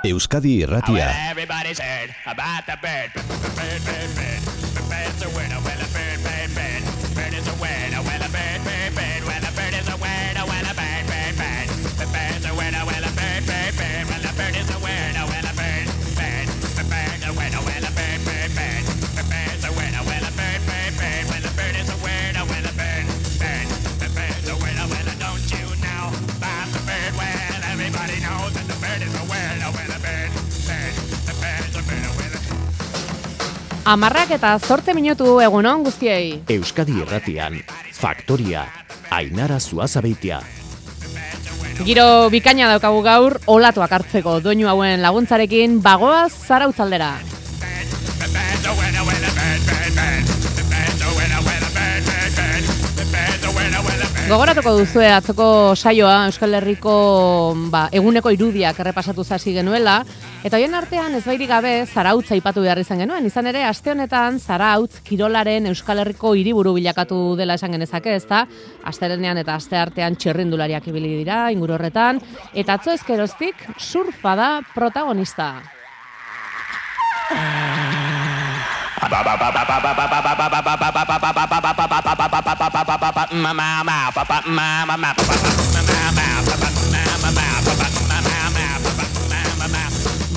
Euskadi Irratia. Amarrak eta 8 minutu egunon guztiei. Euskadi Irratian, Faktoria, Ainara Zuazabeitia. Giro bikaina daukagu gaur, olatuak hartzeko doinu hauen laguntzarekin bagoaz Zarautzaldera. Gogoratuko duzue atzoko saioa Euskal Herriko eguneko irudiak errepasatu hasi genuela, eta hoien artean ezbairik gabe Zarautz aipatu behar izan genuen. Izan ere, aste honetan Zarautz kirolaren Euskal Herriko hiriburu bilakatu dela esan genezake, ezta? Asterenean eta asteartean txirrindulariak ibili dira inguru horretan, eta atzo ezkeroztik surfa da protagonista.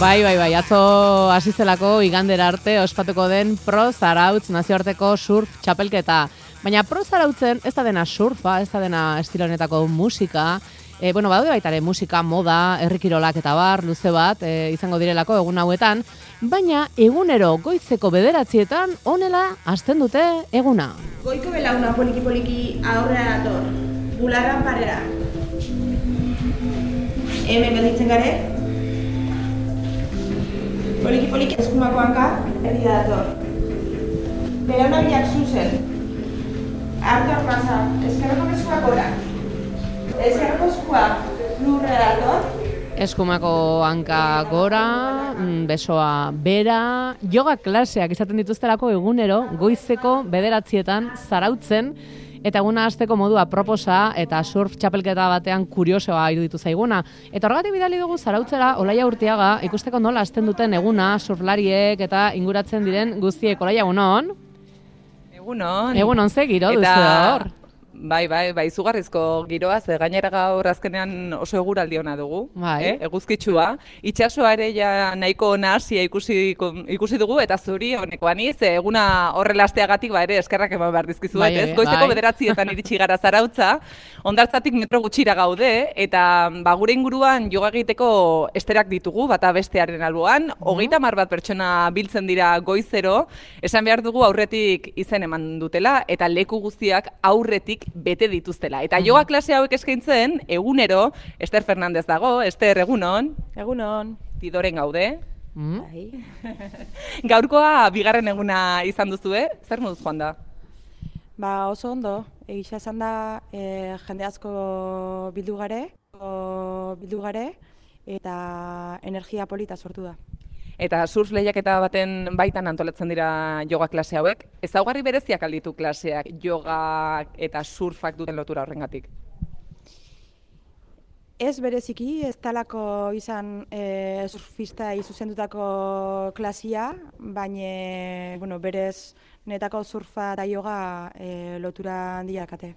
Bai, atzo hasi zelako igandera arte ospatuko den Pro Zarautz nazioarteko surf txapelketa. Baina Pro Zarautzen ez da dena surfa, ez da dena estilo honetako musika. Badaude baita ere musika, moda, herrikirolak eta bar, luze bat izango direlako egun hauetan, baina egunero goizeko 9:00 honela hasten dute eguna. Goiko belauna poliki-poliki aurrera dator, bularran parera. Hemen gelditzen gare. Poliki-poliki eskumako hanka erdi dator. Belauna bilak zuzen. Artean pasa, eskerreko eskuak gora. Eskerreko eskuak lurrera dator. Eskumako hanka gora, besoa bera, yoga klaseak izaten dituztelako egunero, goizeko 9:00 Zarautzen, eta eguna hasteko modu aproposa eta surf txapelketa batean kuriosoa iruditu zaiguna. Eta horregatik bidali dugu Zarautzera Olaia Urtiaga ikusteko nola hasten duten eguna surflariek eta inguratzen diren guztiek. Olaia, egunon? Egunon. Egunon, ze giro duzu hor? Bai, izugarrizko giroa, ze gainera gaur azkenean oso eguraldi ona dugu, eguzkitsua. Itsasoa ere ja nahiko nahasia ikusi dugu, eta zuri honekoa ni, ze eguna horrela hasteagatik ere eskerrak eman behar dizkizuet, ez? Goizeko 9:00 iritsi gara Zarautza, hondartzatik metro gutxira gaude, eta gure inguruan yoga egiteko esterak ditugu, bata bestearen alboan, 30 bat pertsona biltzen dira goizero, esan behar dugu aurretik izen eman dutela, eta leku guztiak aurretik bete dituztela. Eta yoga klase hauek eskaintzen, egunero, Ester Fernandez dago. Ester, egunon? Egunon. Tidoren gaude. Gaurkoa bigarren eguna izan duzue, zer moduz joan da? Oso ondo, egisa esan da jende asko bildu gare, eta energia polita sortu da. Eta surf lehiaketa baten baitan antolatzen dira yoga klase hauek. Ezaugarri bereziak alditu klaseak yoga eta surfak duten lotura horrengatik? Ez bereziki, ez talako izan surfista zuzendutako klasia, baina berez netako surfa eta yoga lotura handiakate.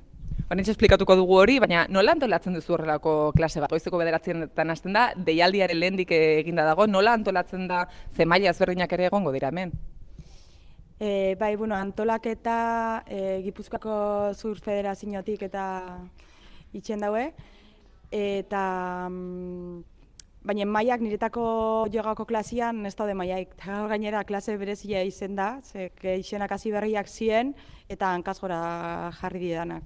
Honetxe esplikatuko dugu hori, baina nola antolatzen duzu horrelako klase bat? Goizeko 9:00 hasten da, deialdiaren lehendik eginda dago, nola antolatzen da, ze maila ezberdinak ere egongo dira hemen? Antolaketa Gipuzkoako Zur Federaziotik eta itxen daue, eta baina mailak niretako jogako klasian ez daude mailaik. Gainera klase berezia izen da, izenak hasi berriak ziren eta hankasgora jarri didanak.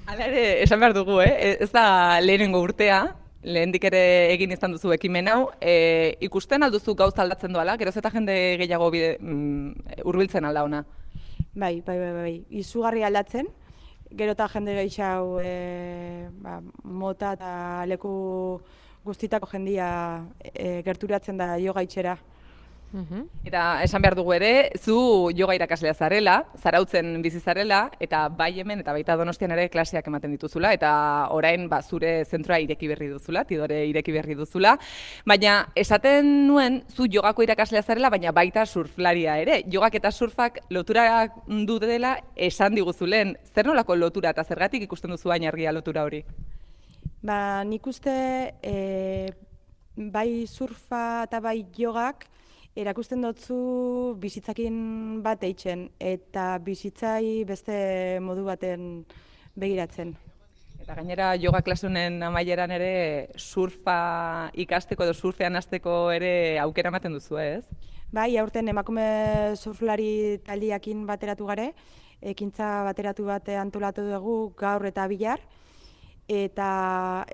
Hala ere, esan behar dugu, ez da lehenengo urtea, lehendik ere egin izan duzu ekimen hau, ikusten alduzu gauza aldatzen doala, geroz eta jende gehiago hurbiltzen alda ona? Bai, izugarri aldatzen, gero eta jende gehiago mota eta leku guztitako jendia gerturatzen da yoga itxera. Eta esan behar dugu ere, zu yoga irakaslea zarela, Zarautzen bizi zarela, eta bai hemen eta baita Donostian ere klaseak ematen dituzula, eta orain zure zentroa ireki berri duzula, Tidore ireki berri duzula, baina esaten nuen zu jogako irakaslea zarela, baina baita surflaria ere. Jogak eta surfak lotura dutela esan diguzulen. Zer nolako lotura eta zergatik ikusten duzu baina argia lotura hori? Nik uste bai surfa eta bai jogak erakusten dutzu bizitzakin bat eitzen eta bizitzai beste modu baten begiratzen. Eta gainera yoga klasunen amaieran ere surfa ikasteko edo surfean hasteko ere aukera ematen duzu, ez? Bai, aurten emakume surflari taldiakin bateratu gare, ekintza bateratu bat antolatu dugu gaur eta bihar, eta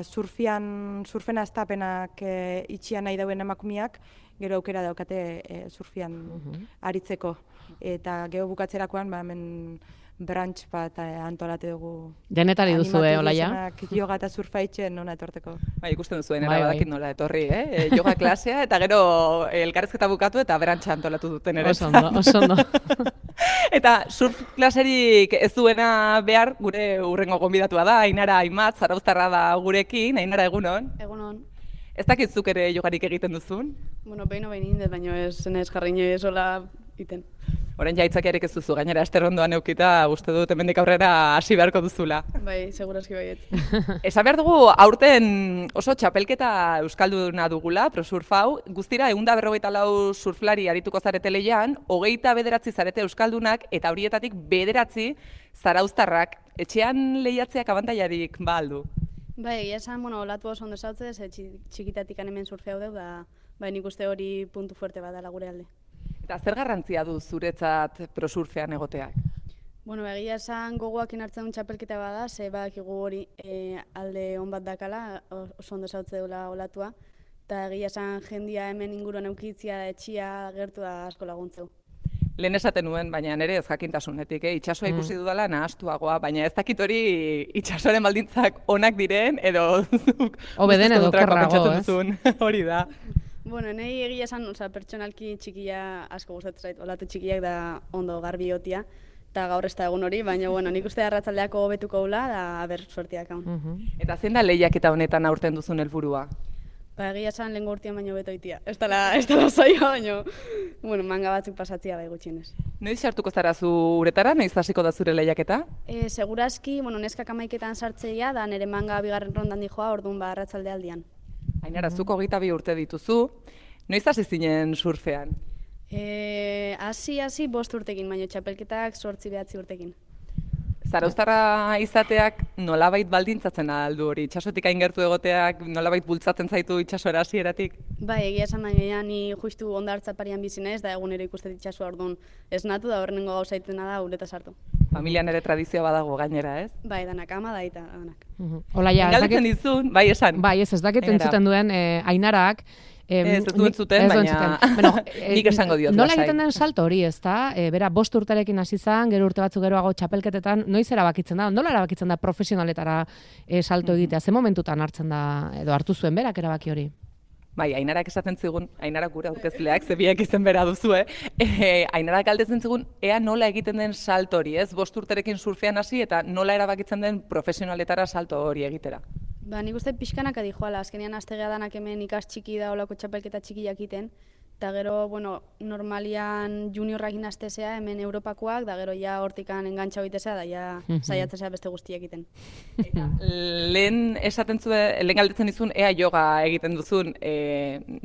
surfen hastapenak itxian nahi dauen emakumeak gero aukera daukate surfian aritzeko. Eta gero bukatzerakoan hemen brunch bat antolatu dugu. Denetari duzu, Olaia? Yoga eta surfa itxen nona etorteko. Bai, ikusten duzuen, badakit nola etorri, yoga klasea, eta gero elkarrezketa bukatu eta brantxa antolatu duten ere. Oso ondo. Eta surf klaserik ez duena behar gure urrengo gonbidatua da, Ainara Aimat, zarauztarra da gurekin. Ainara, egunon? Egunon. Ez dakit zuk ere jogarik egiten duzun? Bueno, behin indet, baina ez jarri inoiz hola iten. Orain jaitzakiarik ez duzu, gainera esterrondoan eukita, uste dut hemendik aurrera hasi beharko duzula. Bai, segurazki baiet. Esan behar dugu, aurten oso txapelketa euskalduna dugula, ProSurf hau, guztira 154 surflari arituko zarete lehian, 29 zarete euskaldunak, eta horietatik 9 zarauztarrak. Etxean lehiatzeak abantailarik ba aldu? Bai, egia esan, olatu oso ondo zautzez, txikitatik hemen surfeau deu, da nik uste hori puntu fuerte bat dela gure alde. Eta zer garrantzia du zuretzat ProSurfean egoteak? Bueno, egia esan gogoakin hartzen duen txapelketa bada, ze badakigu hori alde on bat dakala, oso ondo zautze deula olatua, eta egia esan jendia hemen inguruan eukitzia, etxia, gertu da asko laguntzeu. Lehen esaten nuen, baina nire ez jakintasunetik, itxasoa ikusi dudala nahastuagoa, baina ez dakit hori itxasoaren baldintzak onak diren, edo obeden edo kerrago, ez? Hori da. Bueno, nahi egia esan, pertsonalki txikia asko gustatzen zait, olatu txikiak da ondo garbi otia, eta gaur ez da egun hori, baina bueno, nik uste arratsaldeako hobetuko gula, da aber sortiak hau. Eta zein da lehiaketa honetan aurten duzun helburua? Egia esan lehengo urtean baino beto itia. Ez dela zaila, baina bueno, manga batzuk pasatzia bai gutxienez. Noiz sartuko zara zu uretara, noiz hasiko da zure lehiaketa? Segurazki, neskak 11etan sartzeia, da nire manga bigarren rondan dijoa, orduan arratsalde aldian. Ainara, zuk 22 urte dituzu, noiz hasi zinen surfean? Hasi 5 urtekin, baina txapelketak 8-9 urtekin. Zarauztarra izateak nolabait baldintzatzen aldu hori, itxasotik aingertu egoteak nolabait bultzatzen zaitu itxasora hasieratik? Bai, egia esan baina ni justu hondartza parian bizi naiz, da egunero ikusten itxasoa orduan esnatu da horrengo gauza itena da ureta sartu. Familian ere tradizioa badago gainera, ez? Bai, danak ama da eta danak. Olaia, ez dakit dizun, bai esan. Bai, ez dakit entzuten duen Ainarak. Ez duen zuten, baina nik esango diot. Nola egiten den salto hori, ez da? Bera, 5 urterekin hasi zan, gero urte batzuk geroago txapelketetan, noiz erabakitzen da? Nola erabakitzen da profesionaletara salto egitea? Ze momentutan hartzen da, edo hartu zuen berak erabaki hori? Bai, Ainarak esaten zigun, Ainarak gure aurkezleak, zebiak izen bera duzue, Ainarak galdetzen zigun, ea nola egiten den salto hori, ez? 5 urterekin surfean hasi eta nola erabakitzen den profesionaletara salto hori egitera. Nik uste pixkanak adijoala, azkenean astegea danak hemen ikas txiki da olako txapelketa txikiak iten, eta gero, normalian juniorrakin astezea hemen Europakoak, da gero ja hortikan engantxa hoitezea, da ja saiatzea beste guztiak iten. Lehen galdetzen dizun, ea yoga egiten duzun,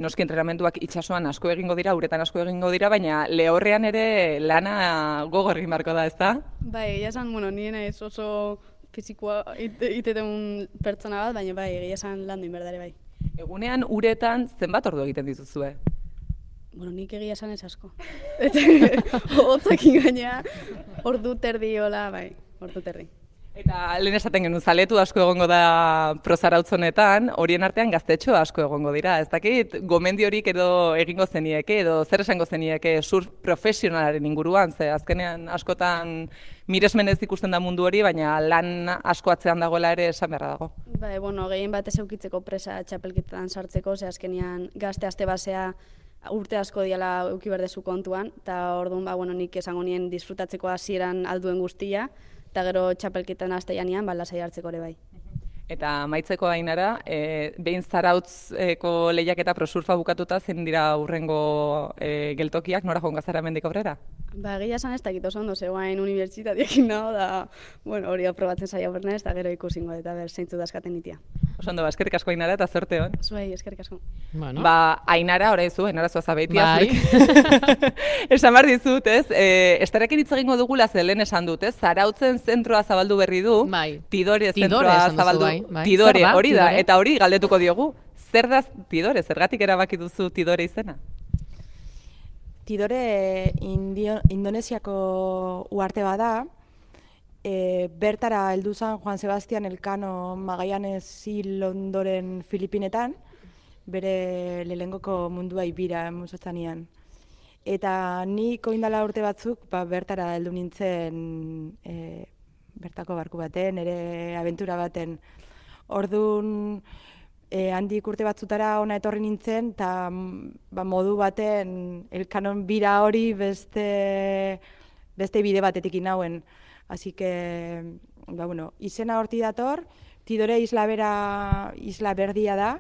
noski entrenamenduak itxasoan asko egingo dira, uretan asko egingo dira, baina lehorrean ere lana gogor egin barko da, ez da? Bai, egia esan, nien ez oso fizikoa iteten pertsona bat, baina bai, egia esan landu inberdare bai. Egunean uretan zenbat ordu egiten dituzue? Nik egia esan ez asko. Hotzakin gaina, ordu terdi hola, bai, ordu terdi. Eta lehen esaten genuen, zaletu asko egongo da prozarautzonetan, horien artean gaztetxo asko egongo dira. Ez dakit, gomendi horik edo egingo zenieke, edo zer esango zenieke surf profesionalaren inguruan, ze azkenean askotan miresmenez ikusten da mundu hori, baina lan asko atzean dagoela ere esan beharra dago. Bai, gehien batez eukitzeko presa txapelketan sartzeko, ze azkenean gazte aste basea urte asko diala euki berdezu kontuan, eta orduan, bueno, nik esango nien disfrutatzeko hasieran alduen guztia, eta gero txapelketan haste janean, lasai hartzeko ere bai. Eta maitzeko Ainara, behin Zarautzeko lehiaketa prosurfa bukatuta zen dira hurrengo geltokiak, nora joan gazara mendik aurrera? Egia esan ez dakit oso ondo zegoen unibertsitateekin dago, da hori aprobatzen saia bernez, eta gero ikusingo eta zeintzu dazkaten nitia. Oso ondo, eskerrik asko Ainara eta zorte hon. Zuei, eskerrik asko. Bueno. Ainara, orain zu, Ainara Zuazabeitia. Esan behar dizut, ez? Estarekin hitz egingo dugula zelen esan dut, ez? Zarautzen zentroa zabaldu berri du, Tidore zentroa zabaldu. Tidore, hori da, eta hori galdetuko diogu. Zer da Tidore, zergatik erabaki duzu Tidore izena? Tidore Indonesiako uharte bada, bertara heldu zen Juan Sebastian Elcano Magallanes hil ondoren Filipinetan, bere lehengoko mundua ibira musotzanean. Eta nik oindala urte batzuk bertara heldu nintzen bertako barku baten, ere abentura baten. Orduan, handik urte batzutara ona etorri nintzen, eta modu baten Elkanon bira hori beste bide batetik inauen. Así que, izena horti dator, Tidore isla berdia da,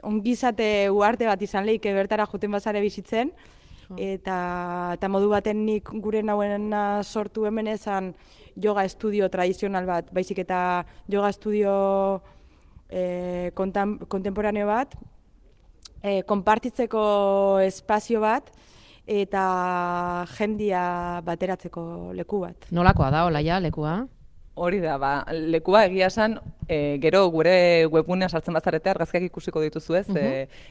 ongizate uarte bat izan lehik bertara juten bazare bizitzen, eta modu baten nik gure nauena sortu hemen ezan yoga estudio tradizional bat, baizik eta yoga estudio kontemporaneo bat, konpartitzeko espazio bat, eta jendia bateratzeko leku bat. Nolakoa da, Olaia, lekua? Hori da, lekua egia esan, gero gure webgunea sartzen bazarete argazkiak ikusiko dituzu ez.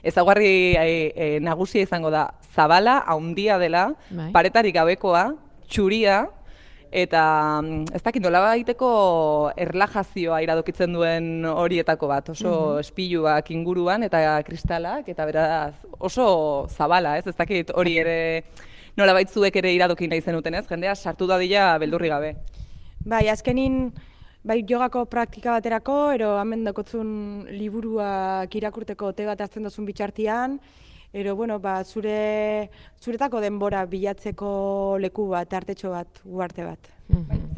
Ezaugarri nagusia izango da, zabala, haundia dela, paretarik gabekoa, txuria, eta ez dakit nolabaiteko erlajazioa iradokitzen duen horietako bat, oso espiluak inguruan eta kristalak, eta beraz oso zabala, ez dakit hori ere nolabait zuek ere iradoki nahi zenuten ez, jendea sartu dadila beldurri gabe. Bai, azkenin, jogako praktika baterako, ero hemen dakotzun liburuak irakurteko te bat hartzen dozun bitxartian, ero, zuretako denbora bilatzeko leku bat, artetxo bat, uarte bat.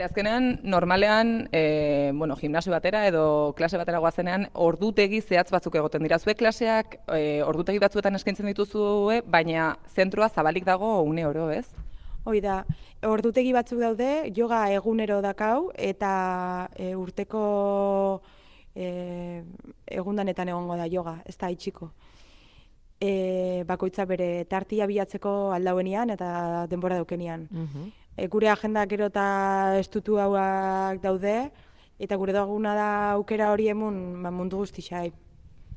Azkenean, normalean, gimnasio batera edo klase batera goazenean, ordutegi zehatz batzuk egoten dira. Zuek klaseak ordutegi batzuetan eskaintzen dituzue, baina zentroa zabalik dago une oro, ez? Hoi da, ordutegi batzuk daude, yoga egunero dakau, eta urteko egundanetan egongo da yoga, ez da itxiko. Bakoitza bere tartia bilatzeko aldauenian eta denbora daukenian. Gure agenda gero eta estutu hauak daude, eta gure duguna da aukera hori emun mundu guztixai.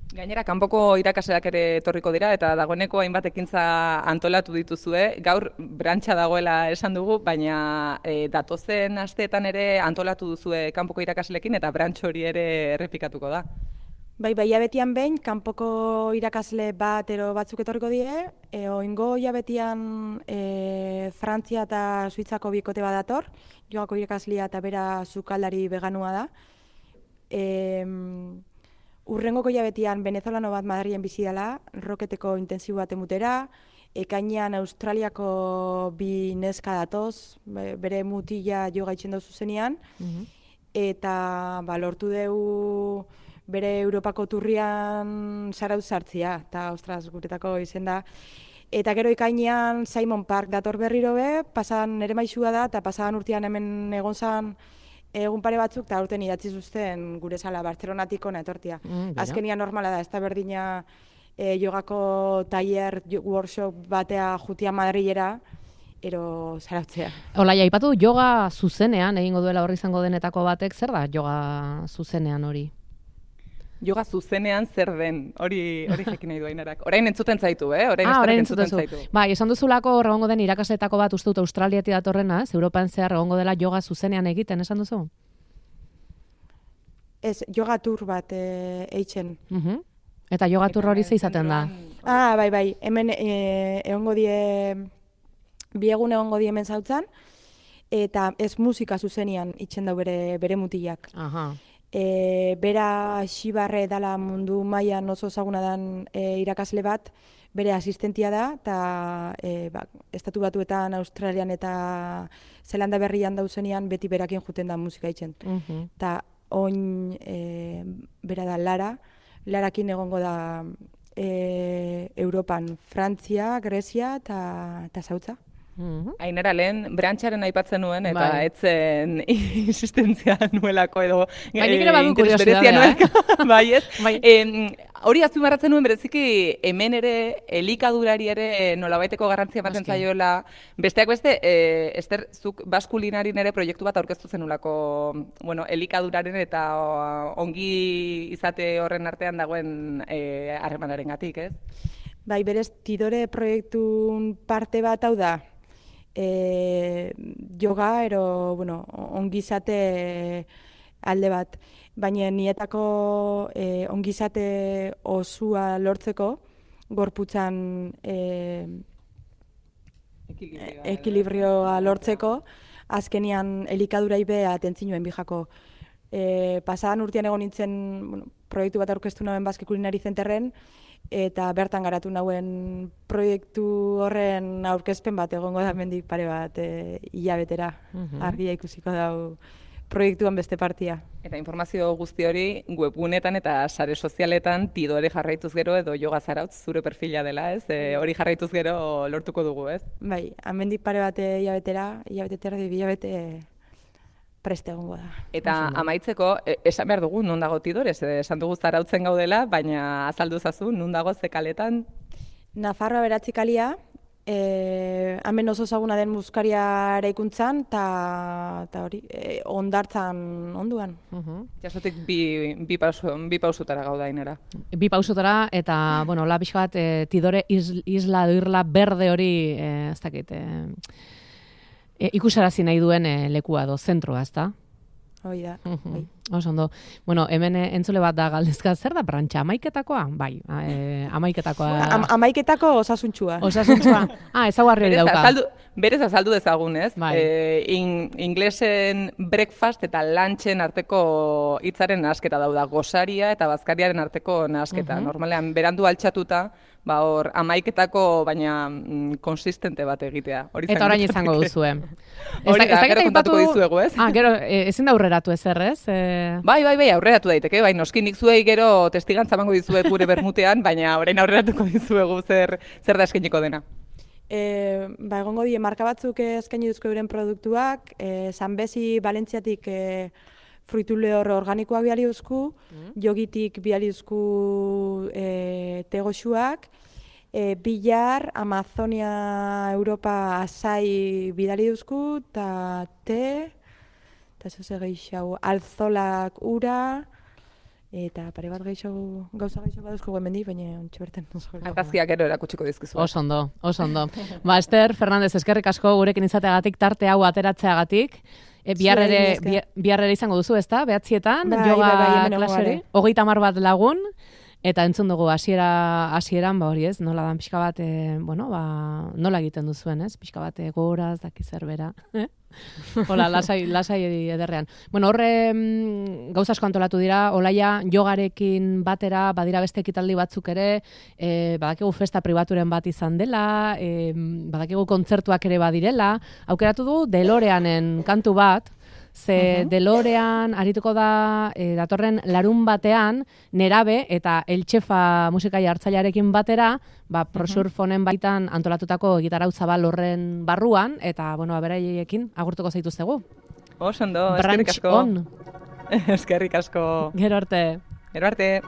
Gainera, kanpoko irakasleak ere etorriko dira, eta dagoeneko hainbat ekintza antolatu dituzue. Gaur brantxa dagoela esan dugu, baina datozen asteetan ere antolatu duzue kanpoko irakasleekin, eta brantxo hori ere errepikatuko da. Bai, jabetian behin, kanpoko irakasle bat ero batzuk etorriko die, oingo jabetian Frantzia eta Suitzako bikote bat dator, jogako irakaslia eta bera sukaldari veganua da. Urrengoko jabetian venezolano bat Madrilen bizi dela, roketeko intensibo bat emutera, ekainean Australiako bi neska datoz, bere mutila joga itxen dauzu zenean, eta lortu dugu bere Europako turrian Zarautz sartzia, eta ostras, guretako izen da. Eta gero ekainean Simon Park dator berriro be, pasan ere maixua da, eta pasadan urtean hemen egon zan egun pare batzuk, eta urten idatzi zuzten gure sala, Bartzelonatik ona etortia. Azkenian normala da, ez da berdina jogako taller, workshop batea jutia Madrilera, ero Zarautzea. Olaia, aipatu yoga zuzenean, egingo duela horri izango denetako batek, zer da yoga zuzenean hori? Yoga zuzenean zer den, hori jakin nahi du Ainarak. Orain entzuten zaitu, Orain entzuten zaitu. Bai, esan duzulako egongo den irakasletako bat uste dut Australiatik datorrena, Europan zehar egongo dela yoga zuzenean egiten, esan duzu? Ez, yoga tour bat eitzen. Eta yoga tour hori ze izaten da? Bai, hemen egongo die, bi egun egongo die hemen zautzan, eta ez musika zuzenean itzen dau bere mutilak. Bera Xibarre dala mundu mailan oso ezaguna den irakasle bat, bere asistentia da, eta Estatu Batuetan, Australian eta Zelanda Berrian dauzenean beti berakin juten da musika itzen. Eta oin bera da Larakin egongo da Europan, Frantzia, Grezia eta Zautza. Ainara, lehen brantxaren aipatzen nuen, eta etzen insistentzia nuelako edo nik ere badu kuriosidadea, bai, ez? Hori azpimarratzen nuen bereziki hemen ere elikadurari ere nolabaiteko garrantzia ematen zaiola. Besteak beste, Ester, zuk baskulinarin ere proiektu bat aurkeztu zenulako, elikaduraren eta ongi izate horren artean dagoen harremanarengatik, ez? Bai, berez, Tidore proiektun parte bat hau da, yoga, ongizate alde bat. Baina nietako ongizate osua lortzeko, gorputzan ekilibrioa lortzeko, azkenian elikadurai beha atentzinoen bijako. Pasadan urtean egon nintzen proiektu bat aurkeztu nauen Basque Culinary Centerren, eta bertan garatu nauen proiektu horren aurkezpen bat egongo da mendik pare bat hilabetera. Argia ikusiko dau proiektuan beste partia. Eta informazio guzti hori webgunetan eta sare sozialetan Tidore jarraituz gero edo Yoga Zarautz zure perfila dela, ez? Hori jarraituz gero lortuko dugu, ez? Bai, hemendik pare bat hilabete preste egongo da. Eta amaitzeko, esan behar dugu, non dago Tidore? Esan dugu Zarautzen gaudela, baina azaldu zazu, non dago ze kaletan? Nafarroa 9 kalia, hemen oso ezaguna den muskaria eraikuntzan, eta hori, Hondartzan onduan. Jasotik bi pausutara gauda Ainara. Bi pausutara, eta, la pixka bat, Tidore isla edo irla berde hori, ez dakit, ikusarazi nahi duen lekua edo zentroa, ezta? Hoi da. Oso ondo. Hemen entzule bat da galdezka, zer da brantxa? Amaiketakoa? Bai, amaiketakoa. Amaiketako osasuntxua. Osasuntxua. Ezaguarri hori dauka. Berez azaldu dezagun, ez? Inglesen breakfast eta lunchen arteko hitzaren nahasketa dauda. Gosaria eta bazkariaren arteko nahasketa. Normalean, berandu altxatuta, hor amaiketako, baina konsistente bat egitea. Eta orain izango duzue. Hori da, gero kontatuko dizuegu, ez? Gero, ezin da aurreratu ezer, ez? Bai, aurreratu daiteke, bai, noski nik zuei gero testigantza emango dizuet gure bermutean, baina orain aurreratuko dizuegu zer da eskainiko dena. Egongo die marka batzuk eskaini duzko euren produktuak, Sanbezi Valentziatik fruitu lehor organikoak bialiuzku, jogitik bialiuzku tegoxuak, Bilar, Amazonia, Europa, Azai bidali duzku, eta eta zoze gehiago, Alzolak ura, eta pare bat gauza gehiago baduzko guen bendi, baina ontsi berten. Argazkiak gero erakutsiko dizkizu. Oso ondo. Ester Fernandez, eskerrik asko gurekin izateagatik, tarte hau ateratzeagatik. Bihar ere izango duzu, ezta? 9:00 yoga klaseri. 30 bat lagun. Eta entzun dugu hasieran, hori ez, nola dan pixka bat, nola egiten duzuen, ez? Pixka bat goraz, daki zerbera. Hola, lasai ederrean. Horre gauza asko antolatu dira, Olaia jogarekin batera, badira beste ekitaldi batzuk ere, badakigu festa pribaturen bat izan dela, badakigu kontzertuak ere badirela, aukeratu du DeLoreanen kantu bat, ze DeLorean arituko da datorren larun batean Nerabe eta Eltxefa musikai hartzailearekin batera, prosurfonen baitan antolatutako gitarra zabal horren barruan, eta beraiekin agurtuko zaituztegu. Oso ondo, eskerrik asko. Branch on. Eskerrik asko. Gero arte. Gero arte.